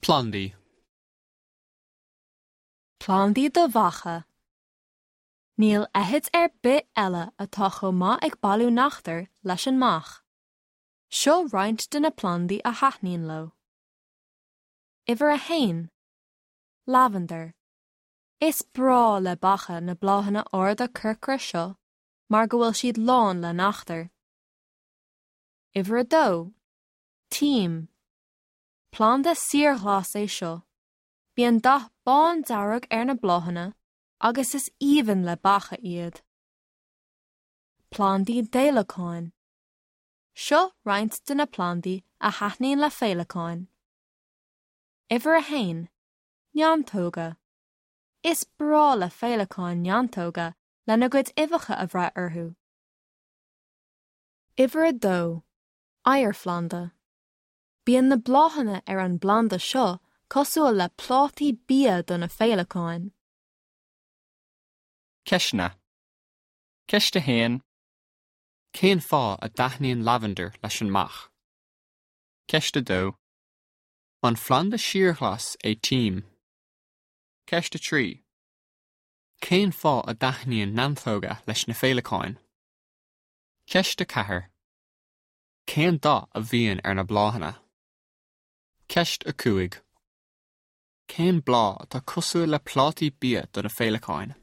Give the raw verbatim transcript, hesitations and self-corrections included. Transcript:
Plandaí. Plandaí do bheacha. Níl fheithid ar bith eile atá chomh maith ag bailiú neachtar leis an mbeach. Seo roinnt de na plandaí a thaitníonn leo. Uimhir a haon. Lavender. Is breá le beacha na bláthanna arda corcra seo mar go bhfuil siad lán le neachtar. Uimhir a dó. Tím. Planda síorghlas é seo. Bíonn dath bándearg ar na bláthanna agus is aoibhinn le beacha iad. Plandaí d'fhéileacáin. Seo roinnt de na plandaí a thaitníonn le féileacáin. Uimhir a haon. Neantóga. Is breá le féileacáin neantóga lena gcuid uibheacha a bhreith orthu. Uimhir a dó. Oighearphlanda. Bíonn na bláthanna ar an bplanda seo cosúil le plátaí bia do na féileacáin. Ceisteanna. Ceist a haon. Cén fáth a dtaitníonn lavender leis an mbeach? Ceist a dó. An planda síorghlas é tím. Ceist a trí. Cén fáth a dtaitníonn neantóga leis na féileacáin? Ceist a ceathair. Cén dath a bhíonn ar na bláthanna? Ceist a cúig. Cén bláth atá cosúil le plátaí bia do na féileacáin?